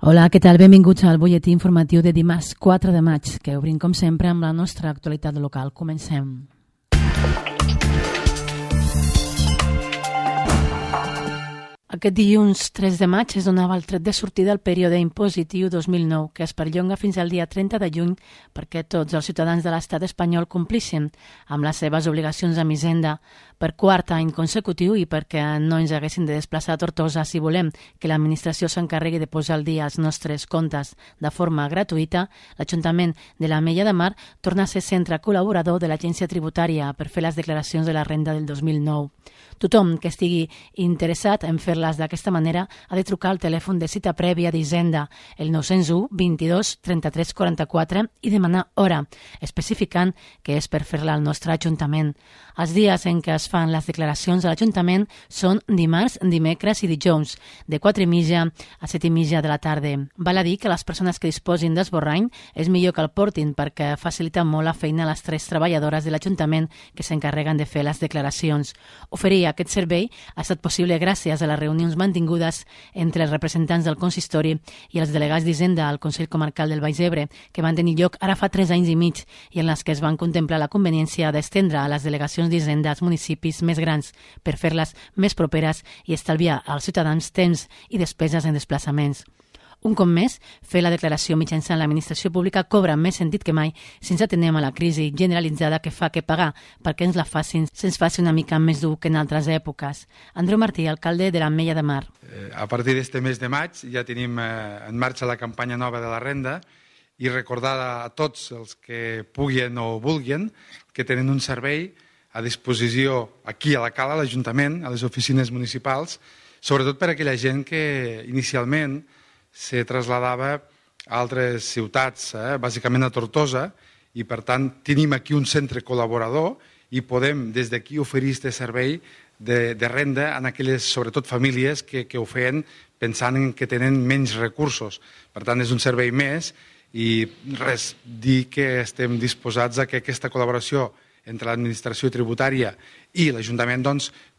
Hola, què tal? Benvinguts al butlletí informatiu de dimarts 4 de maig, que obrim com sempre amb la nostra actualitat local. Comencem. Aquest dilluns 3 de maig es donava el tret de sortida al període impositiu 2009, que es perllonga fins al dia 30 de juny perquè tots els ciutadans de l'estat espanyol complixen amb les seves obligacions amb Hisenda per quart any consecutiu i perquè no ens haguessin de desplaçar a Tortosa si volem que l'administració s'encarregui de posar al dia els nostres comptes de forma gratuïta. L'Ajuntament de l'Ametlla de Mar torna a ser centre col·laborador de l'Agència Tributària per fer les declaracions de la renda del 2009. Tothom que estigui interessat en fer-les d'aquesta manera ha de trucar al telèfon de cita prèvia d'Hisenda, el 901 22 33 44, i demanar hora, especificant que és per fer-la al nostre Ajuntament. Els dies en què es fan les declaracions a l'Ajuntament són dimarts, dimecres i dijous, de 4:30 a 7:30 de la tarda. Val a dir que les persones que disposin d'esborrany és millor que el portin perquè facilita molt la feina a les 3 treballadores de l'Ajuntament que s'encarreguen de fer les declaracions. Oferir aquest servei ha estat possible gràcies a les reunions mantingudes entre els representants del consistori i els delegats d'Hisenda al Consell Comarcal del Baix Ebre, que van tenir lloc ara fa 3 anys i mig i en les que es van contemplar la conveniència d'estendre a les delegacions d'Hisenda als municipis més grans per fer-les més properes i estalviar als ciutadans temps i despeses en desplaçaments. Un cop més, fer la declaració mitjançant l'administració pública cobra més sentit que mai si ens atenem a la crisi generalitzada que fa que pagar perquè ens la facin se'ns faci una mica més dur que en altres èpoques. Andreu Martí, alcalde de l'Ametlla de Mar. A partir d'este mes de maig ja tenim en marxa la campanya nova de la renda i recordar a tots els que puguin o vulguin que tenen un servei a disposició aquí a la Cala, a l'Ajuntament, a les oficines municipals, sobretot per a aquella gent que inicialment se trasladava a altres ciutats, bàsicament a Tortosa, i per tant tenim aquí un centre col·laborador i podem des d'aquí oferir aquest servei de renda a aquelles, sobretot, famílies que ho feien pensant en que tenen menys recursos. Per tant, és un servei més i res, dir que estem disposats a que aquesta col·laboració entre l'administració tributària i l'Ajuntament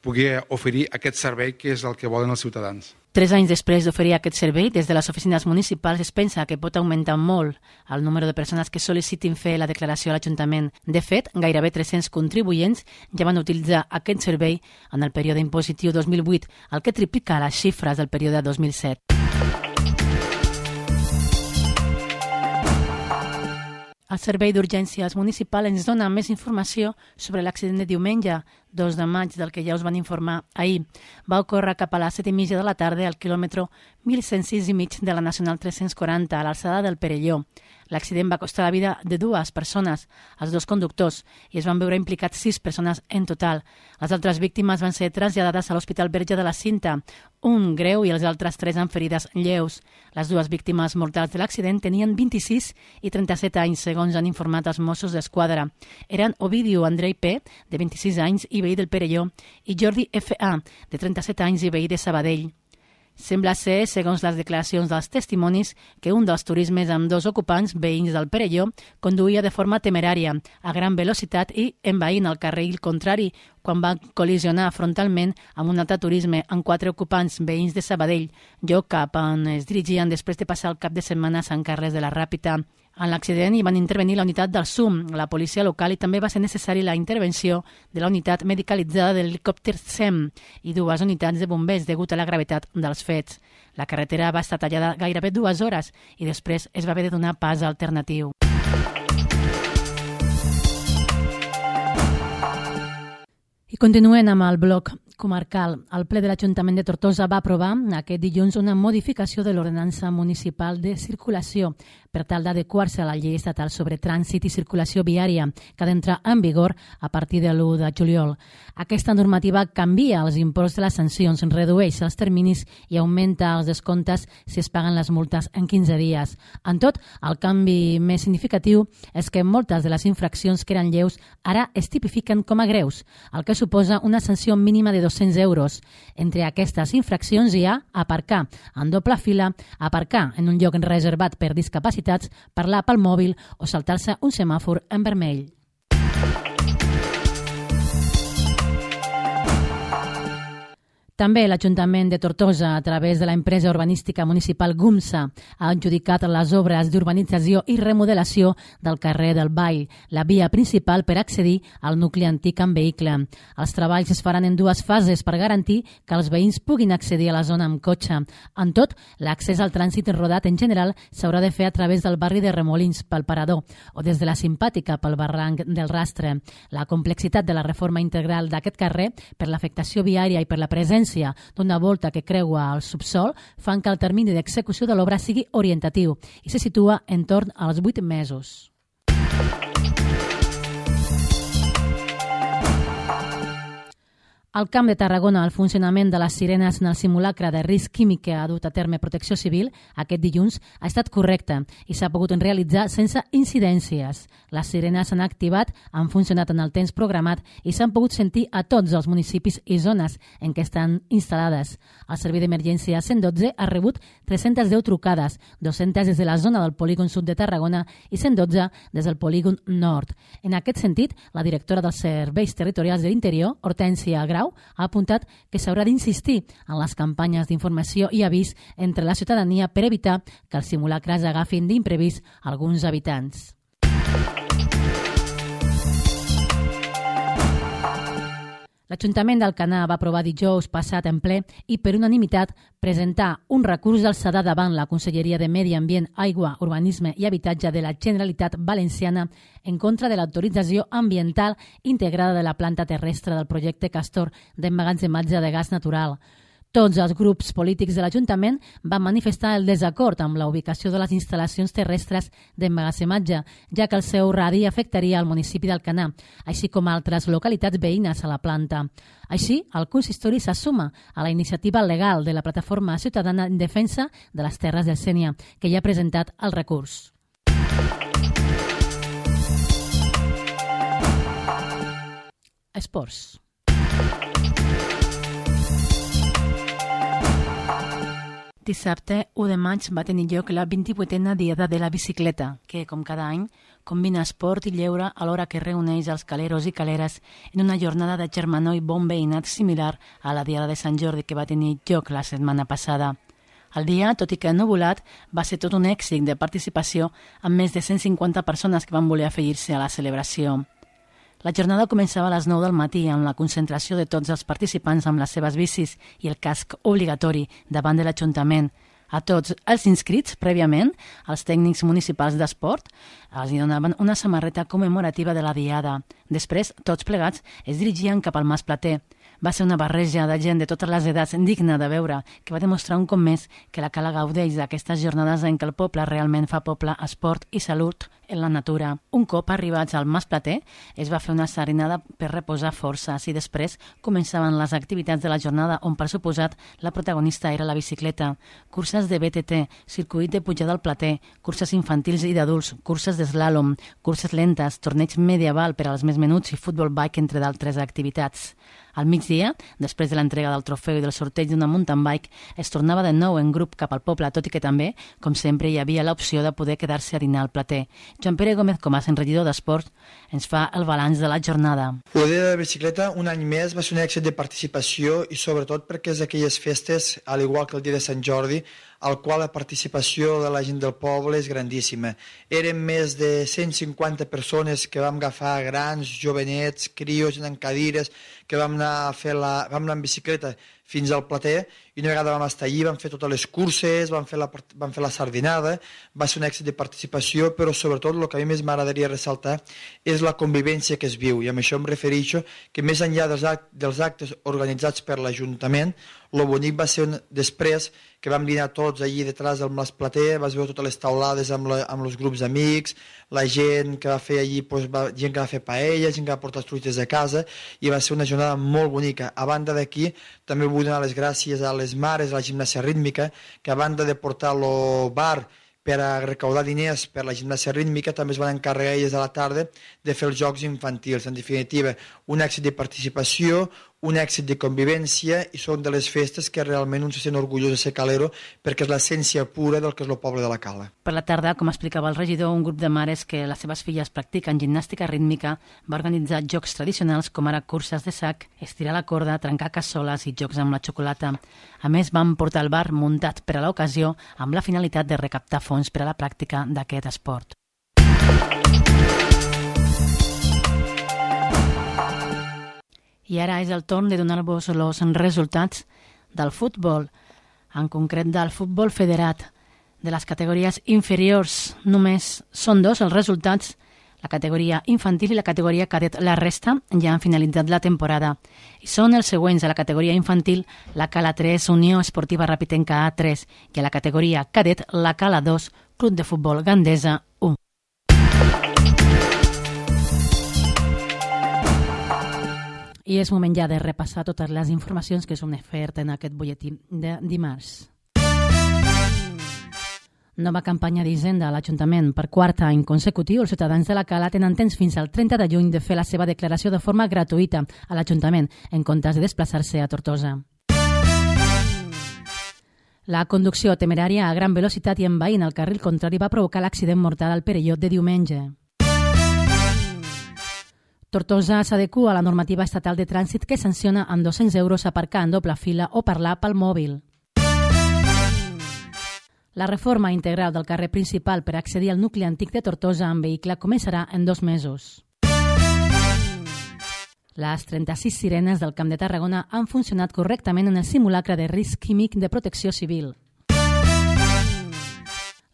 pugui oferir aquest servei que és el que volen els ciutadans. 3 anys després d'oferir aquest servei, des de les oficines municipals es pensa que pot augmentar molt el número de persones que sol·licitin fer la declaració a l'Ajuntament. De fet, gairebé 300 contribuents ja van utilitzar aquest servei en el període impositiu 2008, el que triplica les xifres del període 2007. El Servei d'Urgències Municipal ens dona més informació sobre l'accident de diumenge, 2 de maig, del que ja us van informar ahir. Va ocórrer cap a les 7:30 de la tarda al quilòmetre 1106,5 de la Nacional 340, a l'alçada del Perelló. L'accident va costar la vida de 2 persones, els 2 conductors, i es van veure implicats 6 persones en total. Les altres víctimes van ser traslladades a l'Hospital Verge de la Cinta, un greu i els altres 3 amb ferides lleus. Les 2 víctimes mortals de l'accident tenien 26 i 37 anys, segons han informat els Mossos d'Esquadra. Eren Ovidio Andrei P., de 26 anys i veí del Perelló, i Jordi F.A., de 37 anys i veí de Sabadell. Sembla ser, segons les declaracions dels testimonis, que un dels turismes amb 2 ocupants, veïns del Perelló, conduïa de forma temerària, a gran velocitat i envaint el carril contrari, quan va col·lisionar frontalment amb un altre turisme amb 4 ocupants, veïns de Sabadell, lloc cap on es dirigien després de passar el cap de setmana a Sant Carles de la Ràpita. En l'accident hi van intervenir la unitat del SUM, la policia local, i també va ser necessari la intervenció de la unitat medicalitzada de l'helicòpter SEM i 2 unitats de bombers degut a la gravetat dels fets. La carretera va estar tallada gairebé 2 hores i després es va haver de donar pas alternatiu. I continuem amb el bloc comarcal. El ple de l'Ajuntament de Tortosa va aprovar aquest dilluns una modificació de l'ordenança municipal de circulació per tal d'adequar-se a la llei estatal sobre trànsit i circulació viària, que ha d'entrar en vigor a partir de l'1 de juliol. Aquesta normativa canvia els imports de les sancions, redueix els terminis i augmenta els descomptes si es paguen les multes en 15 dies. En tot, el canvi més significatiu és que moltes de les infraccions que eren lleus ara es tipifiquen com a greus, el que suposa una sanció mínima de 200 euros. Entre aquestes infraccions hi ha aparcar en doble fila, aparcar en un lloc reservat per discapacitats, parlar pel mòbil o saltar-se un semàfor en vermell. També l'Ajuntament de Tortosa, a través de l'empresa urbanística municipal GUMSA, ha adjudicat les obres d'urbanització i remodelació del carrer del Vall, la via principal per accedir al nucli antic amb vehicle. Els treballs es faran en 2 fases per garantir que els veïns puguin accedir a la zona amb cotxe. En tot, l'accés al trànsit rodat en general s'haurà de fer a través del barri de Remolins pel Parador o des de la Simpàtica pel barranc del Rastre. La complexitat de la reforma integral d'aquest carrer per l'afectació viària i per la presència d'una volta que creua el subsol fan que el termini d'execució de l'obra sigui orientatiu i se situa en torn als 8 mesos. Al Camp de Tarragona, el funcionament de les sirenes en el simulacre de risc químic que ha dut a terme Protecció Civil aquest dilluns ha estat correcte i s'ha pogut realitzar sense incidències. Les sirenes s'han activat, han funcionat en el temps programat i s'han pogut sentir a tots els municipis i zones en què estan instal·lades. El Servei d'Emergència 112 ha rebut 310 trucades, 200 des de la zona del polígon sud de Tarragona i 112 des del polígon nord. En aquest sentit, la directora dels Serveis Territorials de l'Interior, Hortènsia Grau, ha apuntat que s'haurà d'insistir en les campanyes d'informació i avís entre la ciutadania per evitar que els simulacres agafin d'imprevist alguns habitants. L'Ajuntament d'Alcanar va aprovar dijous passat en ple i per unanimitat presentar un recurs d'alçada davant la Conselleria de Medi Ambient, Aigua, Urbanisme i Habitatge de la Generalitat Valenciana en contra de l'autorització ambiental integrada de la planta terrestre del projecte Castor d'emmagatzematge de gas natural. Tots els grups polítics de l'Ajuntament van manifestar el desacord amb la ubicació de les instal·lacions terrestres d'emmagatzematge, ja que el seu radi afectaria al municipi d'Alcanar, així com altres localitats veïnes a la planta. Així, el consistori s'assuma a la iniciativa legal de la Plataforma Ciutadana en Defensa de les Terres del Sénia, que ja ha presentat el recurs. Esports. Dissabte, 1 de maig, va tenir lloc la 28a Diada de la Bicicleta, que, com cada any, combina esport i lleure alhora que reuneix els caleros i caleres en una jornada de germanor i bon veïnat similar a la Diada de Sant Jordi que va tenir lloc la setmana passada. El dia, tot i que ennuvolat, va ser tot un èxit de participació amb més de 150 persones que van voler afegir-se a la celebració. La jornada començava a les 9 del matí amb la concentració de tots els participants amb les seves bicis i el casc obligatori davant de l'Ajuntament. A tots els inscrits, prèviament, els tècnics municipals d'esport els donaven una samarreta commemorativa de la Diada. Després, tots plegats es dirigien cap al Mas Plater. Va ser una barreja de gent de totes les edats digna de veure, que va demostrar un cop més que la Cala gaudeix d'aquestes jornades en què el poble realment fa poble, esport i salut en la natura. Un cop arribats al Mas Plater, es va fer una sardinada per reposar forces i després començaven les activitats de la jornada on, per suposat, la protagonista era la bicicleta. Curses de BTT, circuit de pujada al Plater, curses infantils i d'adults, curses d'eslàlom, curses lentes, torneig medieval per als més menuts i futbol bike, entre d'altres activitats. Al migdia, després de l'entrega del trofeu i del sorteig d'una mountain bike, es tornava de nou en grup cap al poble, tot i que també, com sempre, hi havia l'opció de poder quedar-se a dinar al Plater. Joan Pere Gómez Comas, en regidor d'Esport, ens fa el balanç de la jornada. La Diada de la Bicicleta, un any més, va ser un èxit de participació i sobretot perquè és d'aquelles festes, al igual que el dia de Sant Jordi, al qual la participació de la gent del poble és grandíssima. Érem més de 150 persones que vam agafar grans, jovenets, crios, en cadires, que vam anar en bicicleta fins al Plater i una vegada vam estar allí, vam fer totes les curses, vam fer la sardinada, va ser un èxit de participació, però sobretot el que a mi més m'agradaria ressaltar és la convivència que es viu, i amb això em refereixo que més enllà dels actes organitzats per l'Ajuntament, el bonic va ser després que vam dinar tots allí detrás del Mas Plater, vas veure totes les taulades amb els grups d'amics, la gent que va fer allí, gent que va fer paella, gent que va portar truites de casa, i va ser una jornada molt bonica. A banda d'aquí, també vull donar les gràcies a les mares de la gimnàsia rítmica, que a banda de portar el bar per a recaudar diners per la gimnàsia rítmica, també es van encarregar elles a la tarda de fer els jocs infantils. En definitiva, un èxit de participació, un èxit de convivència i són de les festes que realment un se sent orgullós de ser calero perquè és l'essència pura del que és el poble de la Cala. Per la tarda, com explicava el regidor, un grup de mares que les seves filles practiquen gimnàstica rítmica va organitzar jocs tradicionals com ara curses de sac, estirar la corda, trencar cassoles i jocs amb la xocolata. A més, van portar el bar muntat per a l'ocasió amb la finalitat de recaptar fons per a la pràctica d'aquest esport. I ara és el torn de donar-vos els resultats del futbol, en concret del futbol federat. De les categories inferiors només són dos els resultats, la categoria infantil i la categoria cadet. La resta ja han finalitzat la temporada. I són els següents: a la categoria infantil, la Cala 3, Unió Esportiva Rapitenca A3, i a la categoria cadet, la Cala 2, Club de Futbol Gandesa 1. I és moment ja de repassar totes les informacions que s'han ofert en aquest butlletí de dimarts. Nova campanya d'Hisenda a l'Ajuntament. Per quart any consecutiu, els ciutadans de la Cala tenen temps fins al 30 de juny de fer la seva declaració de forma gratuïta a l'Ajuntament, en comptes de desplaçar-se a Tortosa. La conducció temerària a gran velocitat i envaint el carril contrari va provocar l'accident mortal al Perelló de diumenge. Tortosa s'adequa a la normativa estatal de trànsit que sanciona amb 200 euros aparcar en doble fila o parlar pel mòbil. La reforma integral del carrer principal per accedir al nucli antic de Tortosa en vehicle començarà en 2 mesos. Les 36 sirenes del Camp de Tarragona han funcionat correctament en el simulacre de risc químic de protecció civil.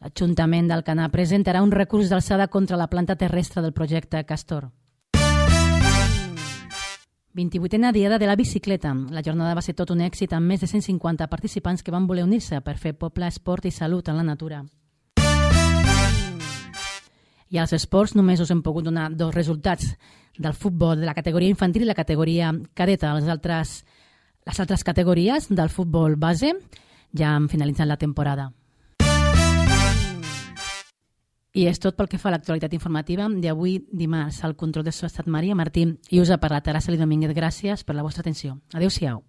L'Ajuntament d'Alcanar presentarà un recurs d'alçada contra la planta terrestre del projecte Castor. 28a Diada de la Bicicleta. La jornada va ser tot un èxit amb més de 150 participants que van voler unir-se per fer poble, esport i salut en la natura. I als esports només us hem pogut donar 2 resultats del futbol de la categoria infantil i la categoria cadeta. Les altres categories del futbol base ja han finalitzat la temporada. I és tot pel que fa a l'actualitat informativa d'avui dimarts. Al control de so ha estat Maria Martín i us ha parlat Araceli Domínguez. Gràcies per la vostra atenció. Adéu-siau.